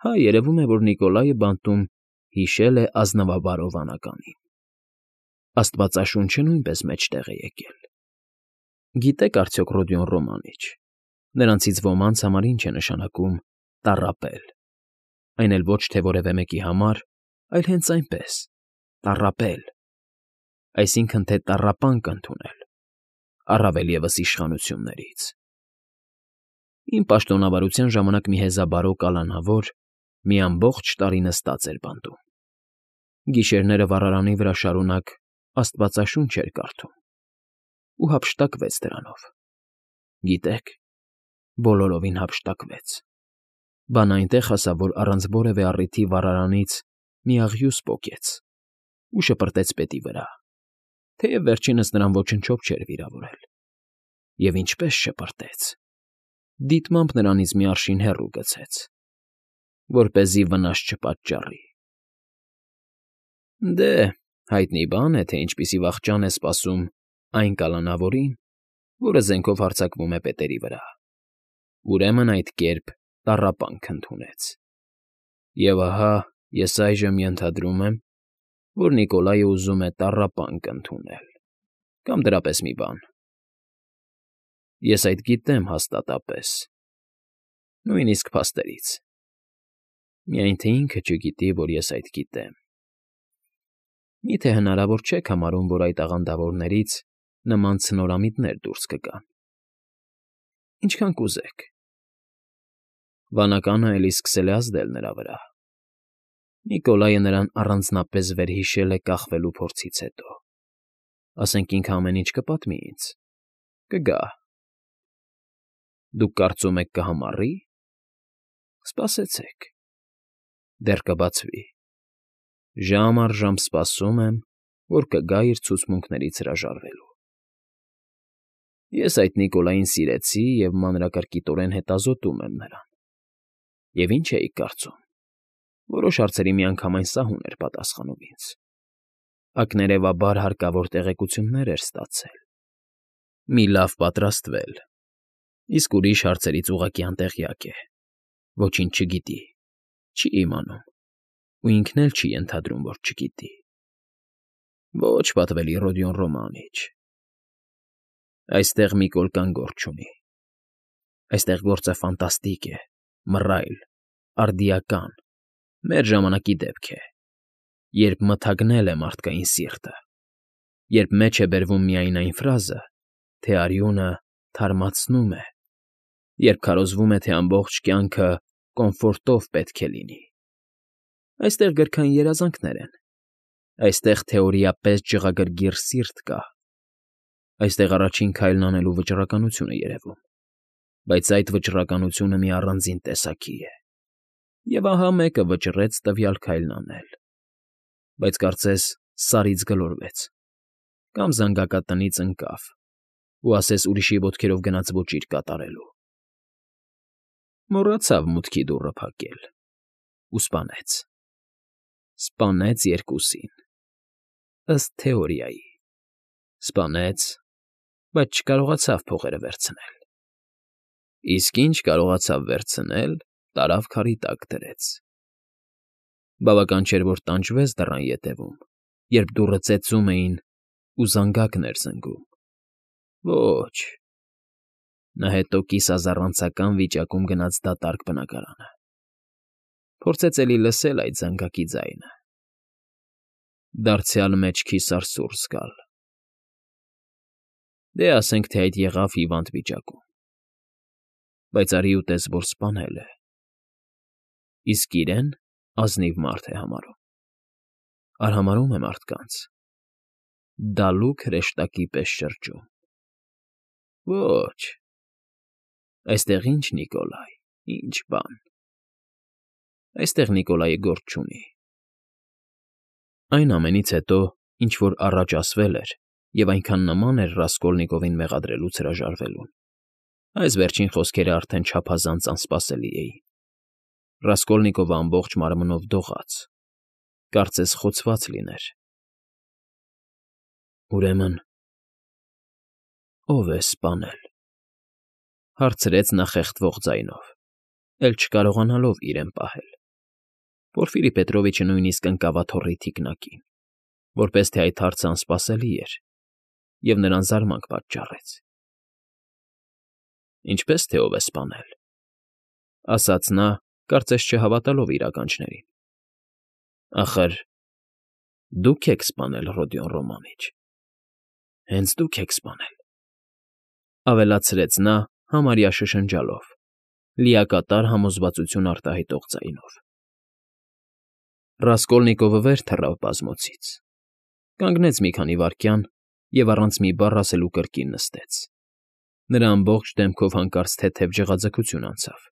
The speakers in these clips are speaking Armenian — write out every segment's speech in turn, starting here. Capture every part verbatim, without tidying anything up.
Հա, երևում է, որ Նիկոլայը բանտում հիշել է ազնվաբարո վանականին, աստվածաշունչը նույնպես մեջտեղ է եկել։ Գիտե՞ք արդյոք Ռոդիոն Ռոմանիչ, նրանցից ոմանց համար ինչ է նշանակում տառապել, այն էլ ոչ թե որևէ մեկի համար, այլ հենց այնպես, տառապել, այսինքն թե տառապանք ընդունել, առավել ևս իշխանություններից։ Իմ պաշտոնավարության ժամանակ մի հեզաբարո կալանավոր մի ամբողջ տարի նստած էր բանտում, գիշերները վառարանի վրա շարունակ աստվածաշունչ էր կարդում ու հափշտակվեց դրանով։ Գիտեք, բոլորովին հափշտակվեց, բան այնտեղ հասավ, որ առանց որևէ առիթի վառարանից մի աղյուս պոկեց ու շպրտեց պետի վրա, թեև վերջինս նրան ոչնչով չէր վիրավորել, և ինչպես շպրտեց, դիտմամբ նրանից մի արշին հեռու գցեց, որպեսզի վնաս չպատճառի։ Դե, հայտնի բան է, թե ինչպիսի վախճան է սպասում այն կալանավորին, որը զենքով հարձակվում է պետերի վրա, ուրեմն այդ կերպ տառապանք ընդունեց։ Եվ ահա ես այժմ ենթադրում եմ, որ Նիկոլայը ուզում է տառապանք ընդունել, կամ դրա պես մի բան։ Ես այդ գիտեմ հաստատապես, նույնիսկ փաստերից, միայն թե ինքը չգիտի, որ ես այդ գիտեմ։ Մի՞թե հնարավոր չեք համարում, որ այդ աղանդավորներից նման ցնորամիտներ դուրս կգան։ Ինչքան կուզեք։ Վանականը էլի սկսել է ազդել նրա վրա։ Նիկոլայը նրան առանձնապես վերհիշել է կախվելու փորձից հետո։ Ասենք ինքը ամեն ինչ կպատմի ինձ, կգա։ Դուք կարծում եք կհամառի՞։ Սպասեցեք, դեռ կբացվի։ Ժամ առ ժամ սպասում եմ, որ կգա իր ցուցմունքներից հրաժարվելու։ Ես այդ Նիկոլային սիրեցի և մանրակրկիտորեն հետազոտում եմ նրան։ Եվ ինչ էիք կարծում, որոշ հարցերի միանգամայն սահուն էր պատասխանում ինձ, ակներևաբար հարկավոր տեղեկություններ էր ստացել, մի լավ պատրաստվել, իսկ ուրիշ հարցերից ուղղակի անտեղյակ է, ոչինչ չգիտի, չի իմանում ու ինքն էլ չի ենթադրում, որ չգիտի։ Ոչ, պատվելի Ռոդիոն Ռոմանիչ, այստեղ մի կոլկան գործ չունի, այստեղ գործը ֆանտաստիկ է, մռայլ, արդիական, մեր ժամանակի դեպք է, երբ մթագնել է մարդկային սիրտը, երբ մեջ է բերվում միայն այն ֆրազը, թե արյունը թարմացնում է, երբ քարոզվում է, թե ամբողջ կյանքը կոմֆորտով պետք է լինի։ Այստեղ գրքային երազանքներ են, այստեղ թեորիապես ջղագրգիռ սիրտ կա, այստեղ առաջին քայլն անելու վճռականություն է երևում, բայց այդ վճռականությունը մի առանձին տեսակի է, և ահա մեկը վճռեց տվյալ քայլն անել, բայց կարծես սարից գլորվեց կամ զանգակատնից ընկավ ու ասես ուրիշի ոտքերով գնաց ոճիր կատարելու։ Մոռացավ մուտքի դուռը փակել ու սպանեց։ Սպանեց երկուսին, ըստ թեորիայի, սպանեց, բայց չկարողացավ փողերը վերցնել, իսկ ինչ կարողացավ վերցնել, տարավ քարի տակ դրեց։ Բավական չէր, որ տանջվեց դռան ետևում, երբ դուռը ծեծում էին ու զանգակն էր զնգում։ Ոչ, նա հետո կիսազառանցական վիճակում գնաց դատարկ բնակարանը, փորձեց էլի լսել այդ զանգակի ձայնը, դարձյալ մեջքի սարսուռ զգալ։ Դե ասենք, թե այդ եղավ հիվանդ վիճակում, բայց արի ու տես, որ սպանել է, իսկ իրեն ազնիվ մարդ է համարում, արհամարհում է մարդկանց, դալուկ հրեշտակի պես շրջում։ Ոչ, այստեղ ինչ Նիկոլայ, ինչ բան, այստեղ Նիկոլայը գործ չունի։ Այն ամենից հետո, ինչ որ առաջ ասվել էր և այնքան նման էր Ռասկոլնիկովին մեղադրելուց հրաժարվելուն, այս վերջին խոսքերը արդեն չափազանց անսպասելի էին։ Ռասկոլնիկովը ամբողջ մարմնով դողաց, կարծես խոցված լիներ։ Ուրեմն, ո՞վ է սպանել,֊ հարցրեց նա խեղդվող ձայնով, էլ չկարողանալով իրեն պահել։ Պորֆիրի Պետրովիչը նույնիսկ ընկավ աթոռի թիկնակին, որպես թե այդ հարցն անսպասելի էր, և նրան զարմանք պատճառեց։ ֊ Ինչպե՞ս թե ով է սպանել,֊ ասաց նա, կարծես չհավատալով իր ականջներին։ ֊ Ախր դուք եք սպանել Ռոդիոն Ռոմանիչ, հենց դուք եք սպանել,֊ ավելացրեց նա համարյա շշնջալով, լիակատար համոզվածություն արտահայտող ձայնով։ Ռասկոլնիկովը վեր թռավ բազմոցից, կանգնեց մի քանի վայրկյան և առանց մի բառ ասելու կրկին նստեց։ Նրա ամբողջ դեմքով հանկարծ թեթև ջղաձգություն անցավ։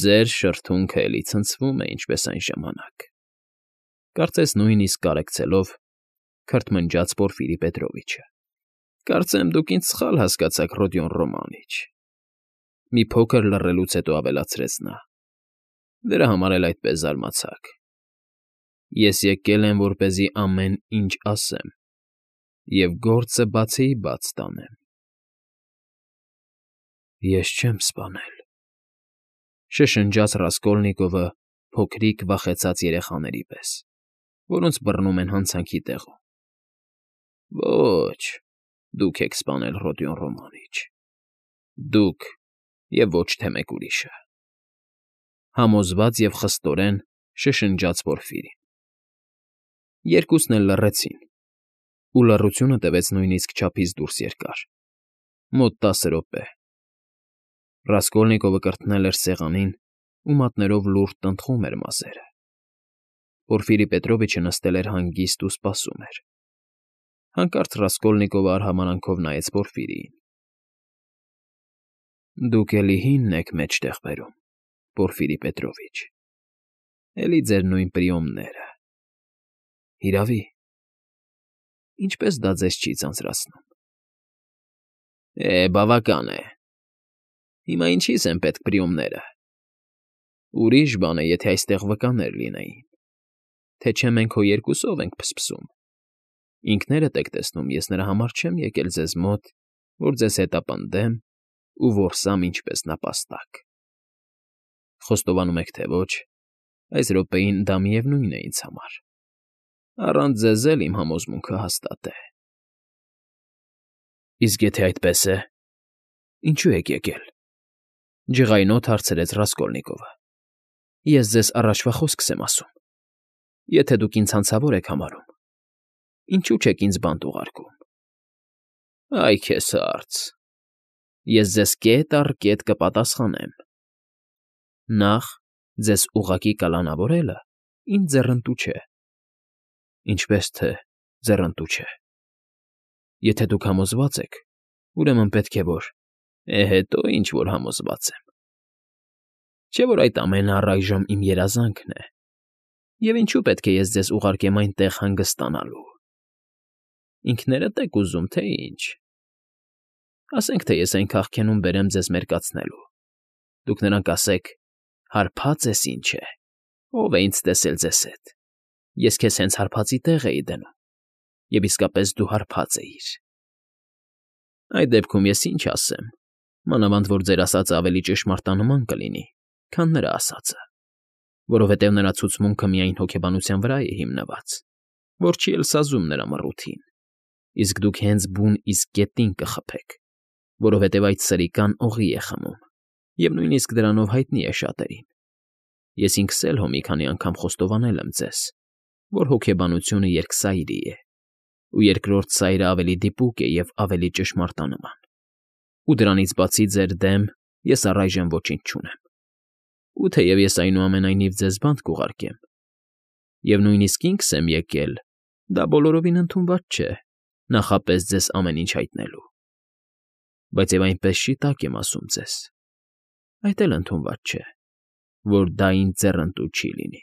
«Ձեր շրթունքը էլի ցնցվում է, ինչպես այն ժամանակ,֊ կարծես նույնիսկ կարեկցելով, քրթմնջաց Պորֆիրի Պետրովիչը։֊ Կարծեմ դուք ինձ սխալ հասկացաք, Ռոդիոն Ռոմանիչ,֊ մի փոքր լռելուց հետո ավելացրեց նա։֊ Դրա համար էլ այդպես զարմացաք։ Ես եկել եմ, որպեսզի ամեն ինչ ասեմ և գործը բացեի բաց տանեմ։ ֊ Ես չեմ սպանել,֊ շշնջաց Ռասկոլնիկովը փոքրիկ վախեցած երեխաների պես, որոնց բռնում են հանցանքի տեղում։ ֊ Ոչ, դուք եք սպանել, Ռոդիոն Ռոմանիչ, դուք և ոչ թե մեկ ուրիշը,֊ համոզված և խստորեն շշնջաց Պորֆիրին։ Երկուսն էլ լռեցին, ու լռությունը տևեց նույնիսկ չափից դուրս երկար, մոտ տասը րոպե։ Ռասկոլնիկովը կրթնել էր սեղանին ու մատներով լուրջ տնտղում էր մազերը։ Պորֆիրի Պետրովիչը նստել էր հանգիստ ու սպասում էր։ Հանկարծ Ռասկոլնիկովը արհամարհանքով նայեց Պորֆիրիին։ ֊ Դուք էլի հինն եք մեջտեղ բերում, Պորֆիրի Պետրովիչ, էլի ձեր նույն պրիոմները… Հիրավի, ինչպե՞ս դա ձեզ չի ձանձրացնում։ ֊ Է, բավական է… Հիմա ինչի՞ս են պետք պրիոմները… Ուրիշ բան է, եթե այստեղ վկաներ լինեին, թե չէ մենք հո երկուսով ենք փսփսում… Ինքներդ եք տեսնում, ես նրա համար չեմ եկել ձեզ մոտ, որ ձեզ հետապնդեմ ու որսամ ինչպես նապաստակ… Խոստովանում եք, թե ոչ, այս րոպեին դա միևնույն է ինձ համար… Առանց ձեզ էլ իմ համոզմունքը հաստատ է։ ֊ Իսկ եթե այդպես է, ինչո՞ւ եք եկել,֊ ջղայնոտ հարցրեց Ռասկոլնիկովը։ ֊ Ես ձեզ առաջվա խոսքս եմ ասում. եթե դուք ինձ հանցավոր եք համարում, ինչո՞ւ չեք ինձ բանտ ուղարկում։ ֊ Այ քեզ հարց… Ես ձեզ կետ առ կետ կպատասխանեմ։ Նախ, ձեզ ուղղակի կալանավորելը ինձ ձեռնտու չէ։ ֊ Ինչպե՞ս թե ձեռնտու չէ։ ֊ Եթե դուք համոզված եք, ուրեմն պետք է որ… Է, հետո ինչ որ համոզված եմ… Չէ՞ որ այդ ամենը առայժմ իմ երազանքն է, և ինչու պետք է ես ձեզ ուղարկեմ այնտեղ հանգստանալու… Ինքներդ եք ուզում, թե ինչ… Ասենք թե ես այն քաղքենում բերեմ ձեզ մերկացնելու, դուք նրան կասեք. «Հարբած ես ինչ է, ո՞վ է ինձ տեսել ձեզ հետ… Ես քեզ հենց հարբածի տեղ էի դնում, և իսկապես դու հարբած էիր»։ Այդ դեպքում ես ինչ ասեմ, մանավանդ որ ձեր ասածը ավելի ճշմարտանման կլինի, քան նրա ասածը, որովհետև նրա ցուցմունքը միայն հոգեբանության վրա է հիմնված, որ չի էլ սազում նրա մռութին, իսկ դուք հենց բուն իսկ գետին կխփեք, որովհետև այդ սրիկան օղի է խմում, և նույնիսկ դրանով հայտնի է շատերին։ Ես ինքս էլ հո մի քանի անգամ խոստովանել եմ ձեզ, որ հոգեբանությունը երկսայրի է, ու երկրորդ սայրը ավելի դիպուկ է և ավելի ճշմարտանման, ու դրանից բացի ձեր դեմ ես առայժմ ոչինչ չունեմ։ Ու թեև ես այնուամենայնիվ ձեզ բանտ կուղարկեմ, և նույնիսկ ինքս եմ եկել, դա բոլորովին ընդունված չէ, նախապես ձեզ ամեն ինչ հայտնելու։ Բայց և այնպես չի տակ եմ ասում ձեզ, այդ էլ ընդունված չէ, որ դա ինձ ձեռնտու չի լինի։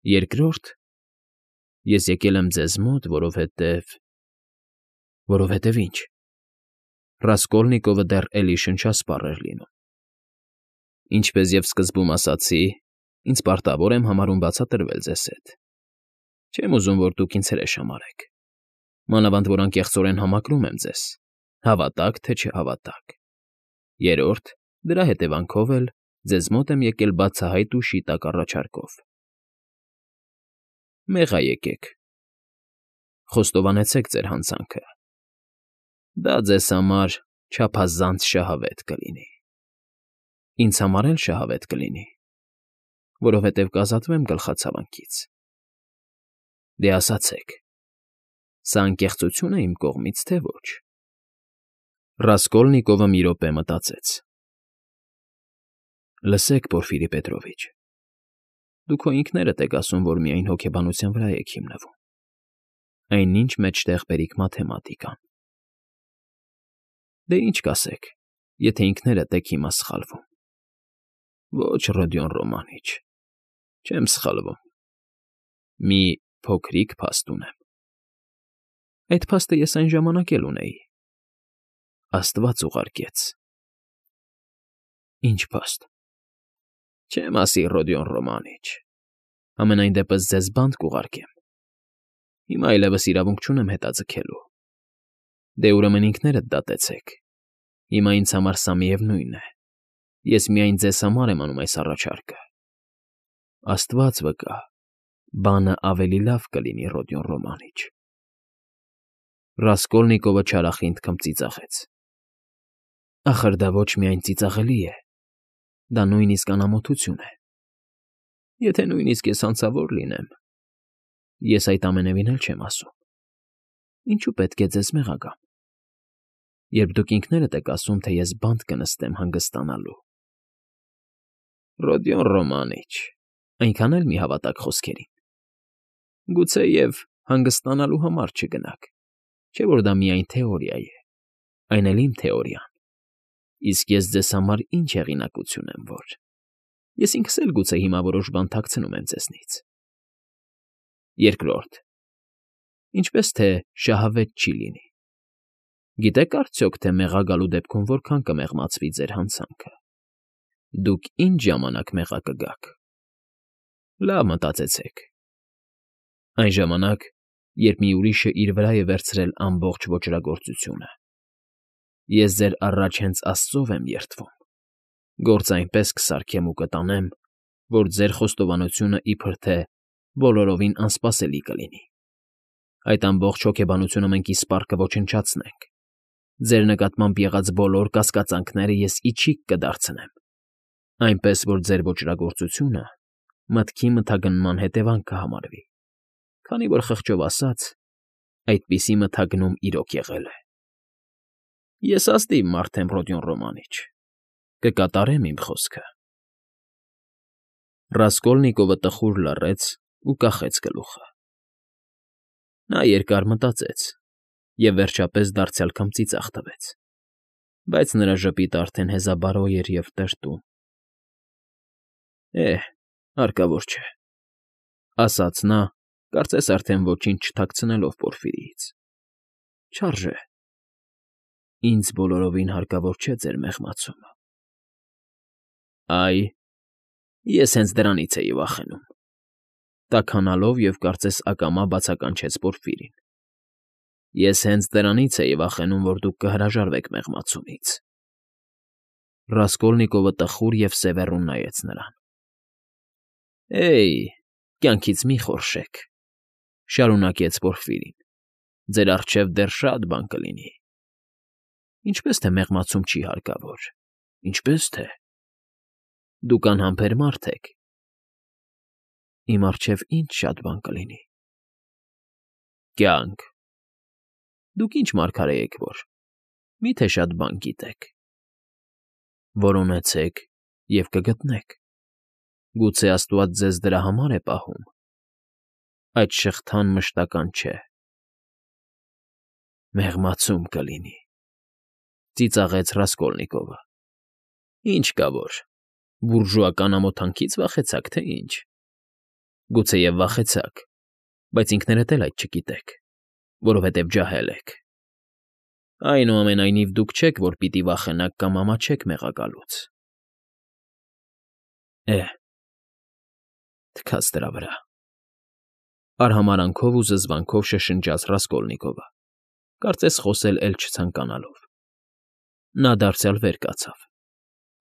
Երկրորդ, ես եկել եմ ձեզ մոտ, որովհետև… Որովհետև ի՞նչ… Ռասկոլնիկովը դեռ էլի շնչասպառ էր լինում։ Ինչպես և սկզբում ասացի, ինձ պարտավոր եմ համարում բացատրվել ձեզ հետ։ Չեմ ուզում, որ դուք ինձ հրեշ համարեք, մանավանդ որ անկեղծորեն համակրում եմ ձեզ, հավատաք թե չհավատաք։ Երրորդ, դրա հետևանքով էլ Ձեզ մոտ եմ եկել բացահայտ ու շիտակ առաջարկով։ Մեղա եկեք, խոստովանեցեք ձեր հանցանքը։ Դա ձեզ համար չափազանց շահավետ կլինի։ Ինձ համար էլ շահավետ կլինի, որովհետև կազատվեմ գլխացավանքից։ Դե ասացեք, սա անկեղծություն է իմ կողմից, թե ոչ։ Ռասկոլնիկովը մի րոպե մտածեց։ Լսեք, Պորֆիրի Պետրովիչ, դուք քո ինքներդ եք ասում, որ միայն հոգեբանության վրա եք հիմնվում, այնինչ մեջտեղ բերիք մաթեմատիկան։ Դե ինչ կասեք, եթե ինքներդ եք հիմա սխալվում։ Ոչ, Ռոդիոն Ռոմանիչ, չեմ սխալվում։ Մի փոքրիկ փաստ ունեմ։ Այդ փաստը ես այն ժամանակ էլ ունեի։ Աստված ուղարկեց։ Ինչ փաստ։ Չեմ ասի, Ռոդիոն Ռոմանիչ, ամենայն դեպս ձեզ բանտ կուղարկեմ։ Հիմա այլևս իրավունք չունեմ հետաձգելու։ Դե ուրեմն ինքներդ դատեցեք։ Հիմա ինձ համար սա միևնույն է։ Ես միայն ձեզ համար եմ անում այս առաջարկը։ Աստված վկա, բանը ավելի լավ կլինի, Ռոդիոն Ռոմանիչ։ Ռասկոլնիկովը չարախինդ քմծիծաղեց։ Ախր դա ոչ միայն ծիծաղելի է, դա նույնիսկ անամոթություն է։ Եթե նույնիսկ ես հանցավոր լինեմ, ես այդ ամենևին էլ չեմ ասում։ Ինչու պետք է ձեզ մեղագամ, երբ դուք ինքներդ եք ասում, թե ես բանտ կնստեմ հանգստանալու։ Ռոդիոն Ռոմանիչ, այնքան էլ մի հավատաք խոսքերին։ Գուցեև հանգստանալու համար չգնաք, չէ՞ որ դա միայն թեորիա է, այն էլ իմ թեորիան։ Իսկ ես ձեզ համար ինչ հեղինակություն եմ, որ… Ես ինքս էլ գուցե հիմա որոշ բան թաքցնում եմ ձեզնից։ Երկրորդ, ինչպես թե շահավետ չի լինի։ Գիտեք արդյոք, թե մեղա գալու դեպքում որքան կմեղմացվի ձեր հանցանքը։ Դուք ինչ ժամանակ մեղա կգաք։ Լավ մտածեցեք։ Այն ժամանակ, երբ մի ուրիշը իր վրա է վերցրել ամբողջ ոճրագործությունը։ Ես ձեր առաջ հենց Աստծով եմ երդվում։ Գործ այնպես կսարքեմ ու կտանեմ, որ ձեր խոստովանությունը իբր թե բոլորովին անսպասելի կլինի։ Այդ ամբողջ հոգեբանությունը մենք իսպառ կոչնչացնենք։ Ձեր նկատմամբ եղած բոլոր կասկածանքները ես իջիկ կդարձնեմ, այնպես որ ձեր ոճրագործությունը մտքի մթագնման հետևանք կհամարվի, քանի որ խղճով ասած, այդպիսի մթագնում իրոք եղել է։ Ես ազնիվ մարդ եմ, Ռոդիոն Ռոմանիչ, կկատարեմ իմ խոսքը։ Ռասկոլնիկովը տխուր լռեց ու կախեց գլուխը։ Նա երկար մտածեց և վերջապես դարձյալ քմծիծաղ տվեց, բայց նրա ժպիտը արդեն հեզաբարո էր և տրտում։ Է՛հ, հարկավոր չէ,֊ ասաց նա, կարծես արդեն ոչինչ չթաքցնելով Պորֆիրիից։ Չարժե։ Ինձ բոլորովին հարկավոր չէ ձեր մեղմացումը։ Այ, ես հենց դրանից էի վախենում,֊ տաքանալով և կարծես ակամա բացականչեց Պորֆիրին։ Ես հենց դրանից էի վախենում, որ դուք կհրաժարվեք մեղմացումից։ Ռասկոլնիկովը տխուր և սևեռուն նայեց նրան։ Էյ, կյանքից մի խորշեք,֊ շարունակեց Պորֆիրին։ Ձեր առջև դեռ շատ բան կլինի։ Ինչպես թե մեղմացում չի հարկավոր, ինչպես թե… Դուք անհամբեր մարդ եք։ Իմ առջև ինչ շատ բան կլինի… Կյանք… Դուք ինչ մարգարե եք, որ… Մի՞թե շատ բան գիտեք։ Որոնեցեք և կգտնեք։ Գուցե աստված ձեզ դրա համար է պահում։ Այդ շղթան մշտական չէ։ Մեղմացում կլինի,֊ ծիծաղեց Ռասկոլնիկովը։ Ինչ կա որ, բուրժուական ամոթանքից վախեցաք, թե ինչ։ Գուցեև վախեցաք, բայց ինքներդ էլ այդ չգիտեք, որովհետև ջահել եք։ Այնուամենայնիվ դուք չեք, որ պիտի վախենաք կամ ամաչեք մեղա գալուց։ Է՛հ, թքած դրա վրա,֊ արհամարանքով ու զզվանքով շշնջաց Ռասկոլնիկովը, կարծես խոսել էլ չցանկանալով։ Նա դարձյալ վեր կացավ։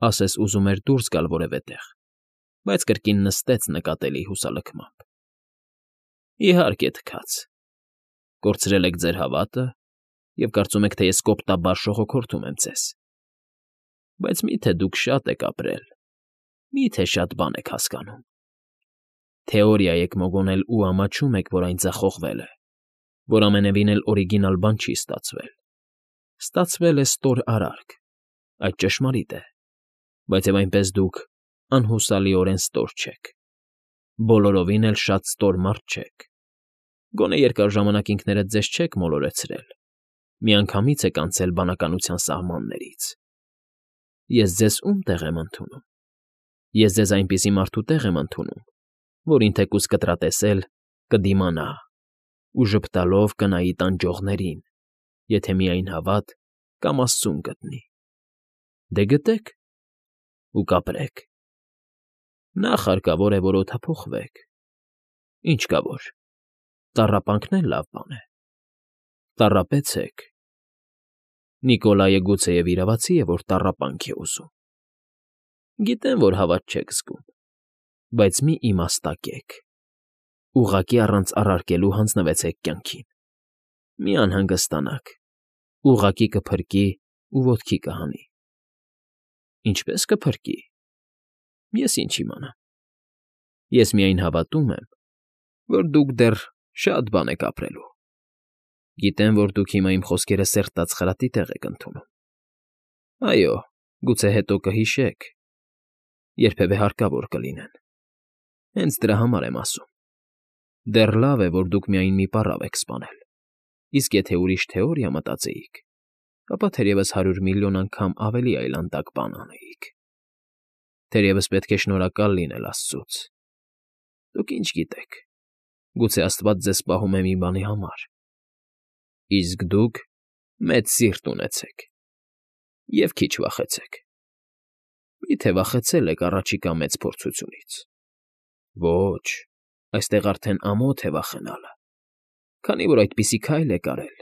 ասես ուզում էր դուրս գալ որևէ տեղ, բայց կրկին նստեց նկատելի հուսալքմամբ։ ֊ Իհարկե, թքած, կորցրել եք ձեր հավատը և կարծում եք, թե ես կոպտաբար շողոքորթում եմ ձեզ, բայց մի՞թե դուք շատ եք ապրել, մի՞թե շատ բան եք հասկանում. թեորիա եք մոգոնել ու ամաչում եք, որ այն ձախողվել է, որ ամենևին էլ օրիգինալ բան չի ստացվել. ստացվել է ստոր արարք, այդ ճշմարիտ է, բայց և այնպես դուք անհուսալիորեն ստոր չեք, բոլորովին էլ շատ ստոր մարդ չեք, գոնե երկար ժամանակ ինքներդ ձեզ չեք մոլորեցրել, միանգամից եք անցել բանականության սահմաններից։ Ես ձեզ ո՞ւմ տեղ եմ ընդունում։ Ես ձեզ այնպիսի մարդու տեղ եմ ընդունում, որին թեկուզ կտրատեսել, կդիմանա ու ժպտալով կնայի տանջողներին, եթե միայն հավատ կամ աստծուն գտնի։ Դե գտեք ու կապրեք։ Նախ հարկավոր է, որ օդափոխվեք։ Ինչ կա որ, տառապանքն էլ լավ բան է։ Տառապեցեք։ Նիկոլայը գուցեև իրավացի է, որ տառապանք է ուզում։ Գիտեմ, որ հավատ չեք զգում, բայց մի իմաստակեք, ուղղակի առանց առարկելու հանձնվեցեք կյանքին։ Մի անհանգստանաք, ուղղակի կփրկի ու ոտքի կհանի։ Ինչպե՞ս կփրկի։ Ես ինչ իմանամ։ Ես միայն հավատում եմ, որ դուք դեռ շատ բան եք ապրելու։ Գիտեմ, որ դուք հիմա իմ խոսքերը սերտած խրատի տեղ եք ընդունում։ Այո, գուցե հետո կհիշեք, երբևէ հարկավոր կլինեն։ Հենց դրա համար եմ ասում։ Դեռ լավ է, որ դուք միայն մի պառավ եք սպանել, իսկ եթե ուրիշ թեորիա մտածեիք, ապա թերևս հարյուր միլիոն անգամ ավելի այլանդակ բան անեիք։ Թերևս պետք է շնորհակալ լինել աստծուց։ Դուք ինչ գիտեք, գուցե աստված ձեզ պահում է մի բանի համար, իսկ դուք մեծ սիրտ ունեցեք և քիչ վախեցեք։ Մի՞թե վախեցել եք առաջիկա մեծ փորձությունից։ Ոչ, այստեղ արդեն ամոթ է վախենալը, քանի որ այդպիսի քայլ եք արել,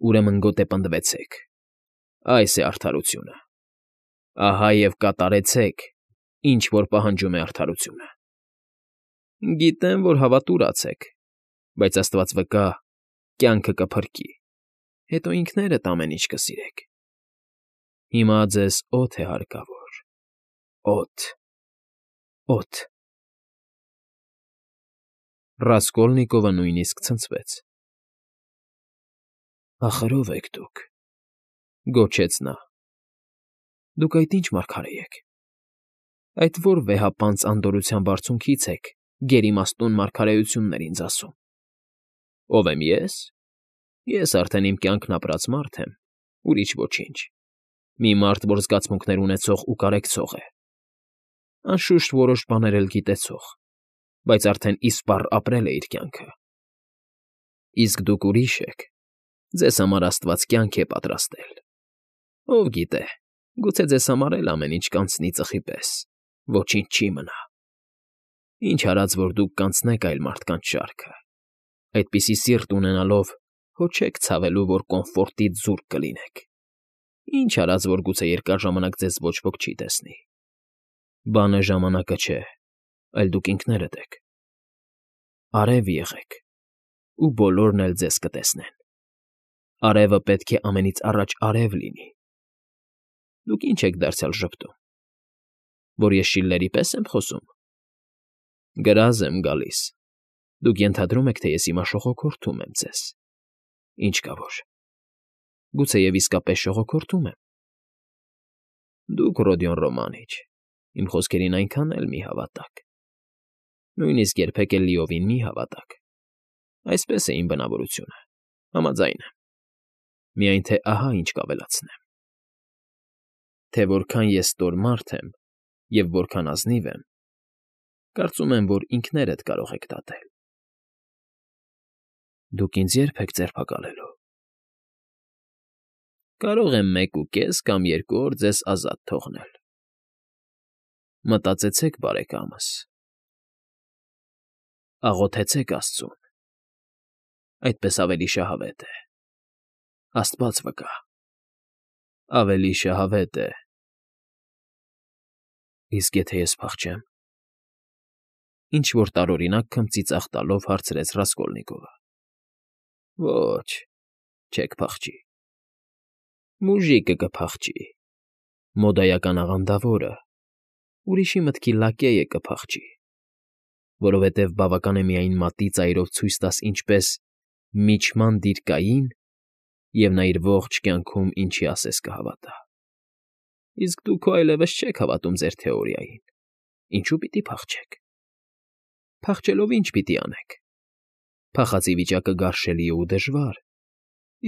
ուրեմն գոտե պնդվեցեք։ Այս է արդարությունը։ Ահա և կատարեցեք, ինչ որ պահանջում է արդարությունը։ Գիտեմ, որ հավատուրաց եք, բայց աստված վկա, կյանքը կփրկի, հետո ինքներդ ամեն ինչ կսիրեք։ Հիմա ձեզ օդ է հարկավոր, օդ, օդ… Ռասկոլնիկովը նույնիսկ ցնցվեց։ Ախր ո՞վ եք դուք,֊ գոչեց նա։ Դուք այդ ի՞նչ մարգարե եք։ Այդ ո՞ր վեհապանծ անդորրության բարձունքից եք գերիմաստուն մարգարեություններ ինձ ասում։ Ո՞վ եմ ես։ Ես արդեն իմ կյանքն ապրած մարդ եմ, ուրիշ ոչինչ։ Մի մարդ, որ զգացմունքներ ունեցող ու կարեկցող է։ Անշուշտ որոշ բաներ էլ գիտեցող, բայց արդեն իսպառ ապրել է իր կյանքը։ Իսկ դուք ուրիշ եք, ձեզ համար աստված կյանք է պատրաստել։ Ով գիտե, գուցե ձեզ համար էլ ամեն ինչ կանցնի ծխի պես, ոչինչ չի մնա։ Ինչ արած, որ դուք կանցնեք այլ մարդկանց շարքը, այդպիսի սիրտ ունենալով հո չեք ցավելու, որ կոմֆորտից զուրկ կլինեք։ Ինչ արած, որ գուցե երկար ժամանակ ձեզ ոչ ոք չի տեսնի։ Բանը ժամանակը չէ, այլ դուք ինքներդ եք։ Արև եղեք, ու բոլորն էլ ձեզ կտեսնեն։ Արևը պետք է ամենից առաջ արև լինի։ Դուք ինչ եք դարձյալ ժպտում, որ ես Շիլլերի պես եմ խոսում։ Գրազ եմ գալիս։ Դուք ենթադրում եք, թե ես հիմա շողոքորթում եմ ձեզ։ Ինչ կա որ, գուցեև իսկապես շողոքորթում եմ։ Դուք, Ռոդիոն Ռոմանիչ, իմ խոսքերին այնքան էլ մի հավատաք։ Նույնիսկ երբեք էլ լիովին մի հավատաք։ Այսպես է իմ բնավորությունը, համաձայն եմ։ Միայն թե ահա ինչ կավելացնեմ. Թե որքան ես ստոր մարդ եմ և որքան ազնիվ եմ, կարծում եմ, որ ինքներդ կարող եք դատել։ Դուք ինձ ե՞րբ եք ձերբակալելու։ Կարող եմ մեկ ու կես կամ երկու օր ձեզ ազատ թողնել։ Մտածեցեք, բարեկամս, աղոթեցեք աստծուն, այդպես ավելի շահավետ է, աստված վկա, ավելի շահավետ է, Իսկ եթե ես փախչեմ,֊ ինչ֊որ տարօրինակ քմծիծաղ տալով հարցրեց Ռասկոլնիկովը։ ֊ Ոչ, չեք փախչի։ Մուժիկը կփախչի, մոդայական աղանդավորը, ուրիշի մտքի լակեյը կփախչի, որովհետև բավական է միայն մատի ծայրով ցույց տաս ինչպես «միջման դիր Կային», և նա իր ողջ կյանքում ինչի ասես կհավատա։ Իսկ դուք քո այլևս չեք հավատում ձեր թեորիային, ինչու պիտի փախչեք։ Փախչելով ի՞նչ պիտի անեք։ Փախածի վիճակը գարշելի է ու դժվար,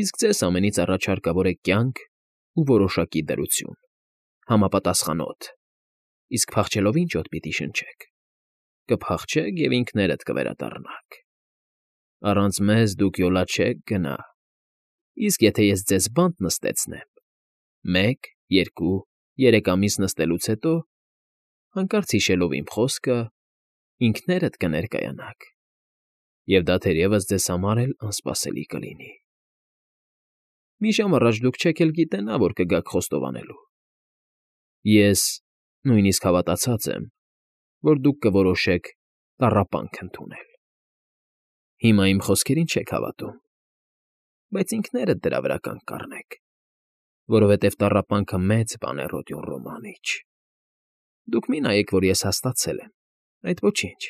իսկ ձեզ ամենից առաջ հարկավոր է կյանք ու որոշակի դրություն, համապատասխանոտ, իսկ փախչելով ի՞նչ օդ պիտի շնչեք։ Կփախչեք և ինքներդ կվերադառնաք։ Առանց մեզ դուք յոլա չեք գնա, իսկ եթե ես ձեզ բանտ նստեցնեմ, մեկ, երկու, երեք ամիս նստելուց հետո, հանկարծ հիշելով իմ խոսքը, ինքներդ կներկայանաք, և դա թերևս ձեզ համար էլ անսպասելի կլինի։ Մի ժամ առաջ դուք չեք էլ գիտենա, որ կգաք խոստովանելու։ Ես նույնիսկ հավատացած եմ, որ դուք կորոշեք տառապանք ընդունել։ Հիմա իմ խոսքերին չեք հավատում, բայց ինքներդ դրա վրա կանգ կառնեք, որովհետև տառապանքը մեծ բան է, Ռոդիոն Ռոմանիչ։ Դուք մի նայեք, որ ես հաստատցել եմ, այդ ոչինչ,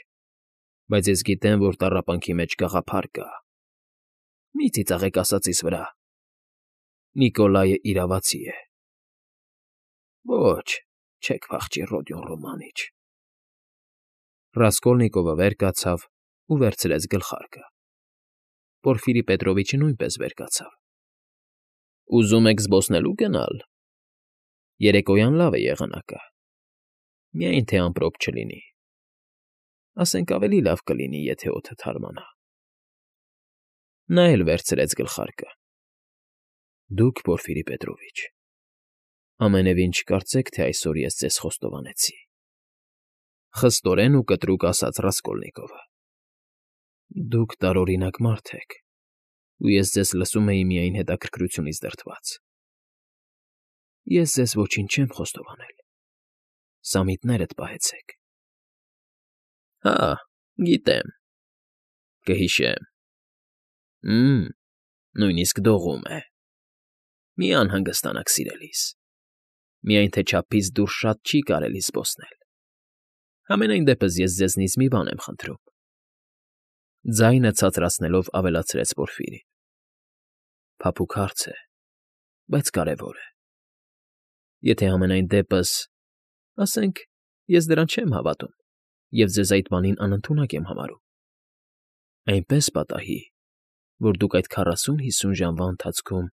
բայց ես գիտեմ, որ տառապանքի մեջ գաղափար կա։ Մի ծիծաղեք ասածիս վրա։ Նիկոլայը իրավացի է։ Ոչ, չեք փախչի, Ռոդիոն Ռոմանիչ։ Ռասկոլնիկովը վեր կացավ ու վերցրեց գլխարկը։ Պորֆիրի Պետրովիչը նույնպես վեր կացավ։ Ուզում եք զբոսնելու գնալ։ Երեկոյան լավ է եղանակը, միայն թե ամպրոպ չլինի, ասենք ավելի լավ կլինի, եթե օդը թարմանա։ Նա էլ վերցրեց գլխարկը։ Դուք, Պորֆիրի Պետրովիչ, ամենևին չկարծեք, թե այսօր ես ձեզ խոստովանեցի,֊ խստորեն ու կտրուկ ասաց Ռասկոլնիկովը։ Դուք տարօրինակ մարդ եք, ու ես ձեզ լսում էի միայն հետաքրքրությունից դրդված։ Ես ձեզ ոչինչ չեմ խոստովանել, սամիտներդ պահեցեք։ Հա, գիտեմ, կհիշեմ։ Մմ, նույնիսկ դողում է։ Մի անհանգստանաք, սիրելիս, միայն թե չափից դուրս շատ չի կարելի զբոսնել։ Համենայն դեպս ես ձեզնից մի բան եմ խնդրում,֊ ձայնը ցածրացնելով ավելացրեց Պորֆիրին։ Փափուկ հարց է, բայց կարևոր է։ Եթե համենայն դեպս, ասենք, ես դրան չեմ հավատում և ձեզ այդ բանին անընդունակ եմ համարում, այնպես պատահի, որ դուք այդ քառասուն֊հիսուն ժամվա ընթացքում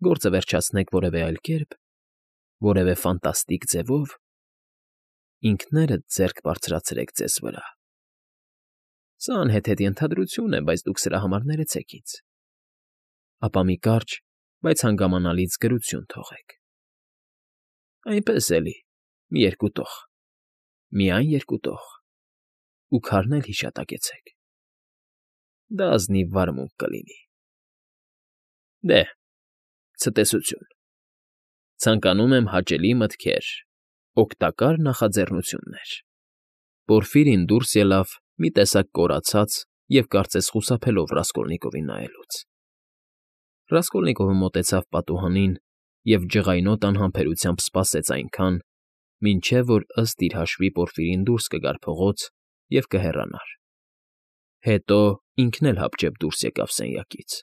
գործը վերջացնեք որևէ այլ կերպ, որևէ ֆանտաստիկ ձևով, ինքներդ ձեռք բարձրացրեք ձեզ վրա։ Սա անհեթեթ ենթադրություն է, բայց դուք սրա համար ներեցեք ինձ։ Ապա մի կարճ, բայց հանգամանալից գրություն թողեք։ Այնպես էլի, մի երկու տող, միայն երկու տող, ու քարն էլ հիշատակեցեք։ Դա ազնիվ վարմունք կլինի։ Դե, ցտեսություն։ Ցանկանում եմ հաճելի մտքեր, օգտակար նախաձեռնություններ։ Պորֆիրին դուրս ելավ, մի տեսակ կորացած և կարծես խուսափելով Ռասկոլնիկովին նայելուց։ Ռասկոլնիկովը մոտեցավ պատուհանին և ջղայնոտ անհամբերությամբ սպասեց այնքան, մինչև որ ըստ իր հաշվի Պորֆիրին դուրս կգար փողոց և կհեռանար։ Հետո ինքն էլ հապճեպ դուրս եկավ սենյակից։